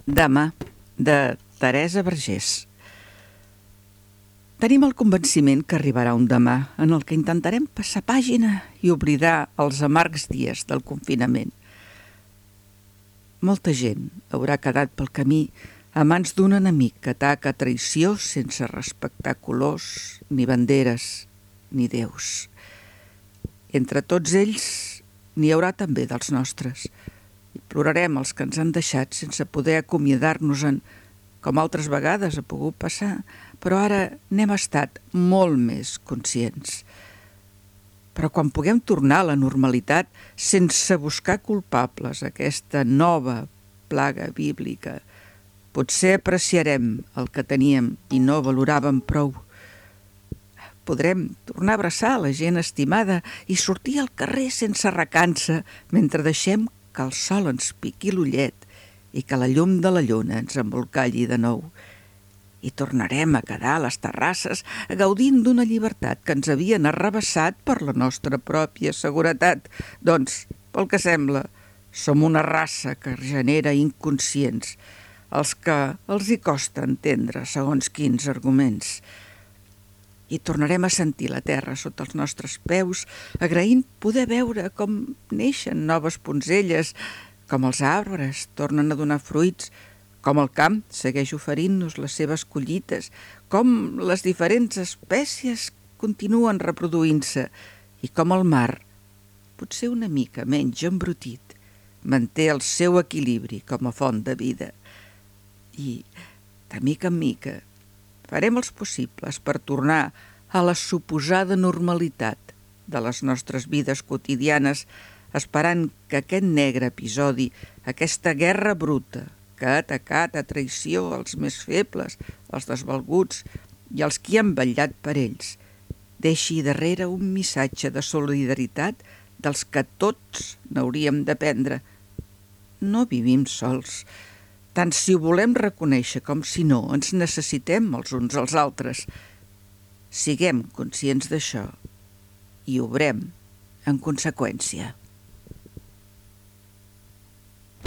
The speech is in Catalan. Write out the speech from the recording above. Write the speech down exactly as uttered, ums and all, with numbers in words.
Demà, de Teresa Vergés. Tenim el convenciment que arribarà un demà en el que intentarem passar pàgina i oblidar els amargs dies del confinament. Molta gent haurà quedat pel camí a mans d'un enemic que ataca a traïció sense respectar colors, ni banderes, ni déus. Entre tots ells n'hi haurà també dels nostres. I plorarem els que ens han deixat sense poder acomiadar-nos-en, com altres vegades ha pogut passar, però ara n'hem estat molt més conscients. Però quan puguem tornar a la normalitat sense buscar culpables aquesta nova plaga bíblica, potser apreciarem el que teníem i no valoràvem prou. Podrem tornar a abraçar la gent estimada i sortir al carrer sense recança mentre deixem que el sol ens piqui l'ullet i que la llum de la lluna ens embolcalli de nou. I tornarem a quedar a les terrasses gaudint d'una llibertat que ens havien arrabassat per la nostra pròpia seguretat. Doncs, pel que sembla, som una raça que genera inconscients, els que els hi costa entendre segons quins arguments. I tornarem a sentir la terra sota els nostres peus, agraint poder veure com neixen noves poncelles, com els arbres tornen a donar fruits, com el camp segueix oferint-nos les seves collites, com les diferents espècies continuen reproduint-se i com el mar, potser una mica menys embrutit, manté el seu equilibri com a font de vida. I, de mica en mica, farem els possibles per tornar a la suposada normalitat de les nostres vides quotidianes, esperant que aquest negre episodi, aquesta guerra bruta que ha atacat a traïció els més febles, els desvalguts i els qui han vetllat per ells, deixi darrere un missatge de solidaritat dels que tots n'hauríem d'aprendre. No vivim sols, tant si ho volem reconèixer com si no, ens necessitem els uns als altres. Siguem conscients d'això i obrem en conseqüència.